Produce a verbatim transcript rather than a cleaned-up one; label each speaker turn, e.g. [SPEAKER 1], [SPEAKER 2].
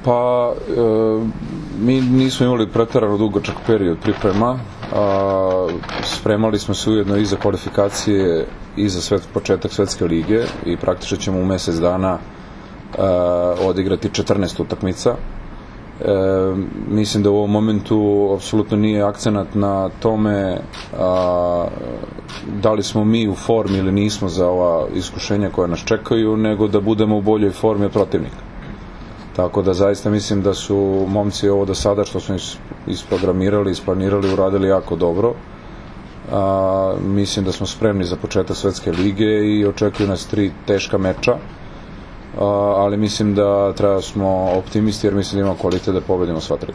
[SPEAKER 1] Pa, mi nismo imali preterano dugačak period priprema, spremali smo se ujedno i za kvalifikacije i za početak Svetske lige i praktično ćemo u mesec dana odigrati četrnaest utakmica. Mislim da u ovom momentu apsolutno nije akcenat na tome da li smo mi u formi ili nismo za ova iskušenja koja nas čekaju, nego da budemo u boljoj formi od protivnika. Tako da zaista mislim da su momci ovo do sada što smo isprogramirali, isplanirali, uradili jako dobro. Mislim da smo spremni za početak Svetske lige i očekuju nas tri teška meča, ali mislim da treba smo optimisti jer mislim da imamo kvalitet da pobedimo sva tri.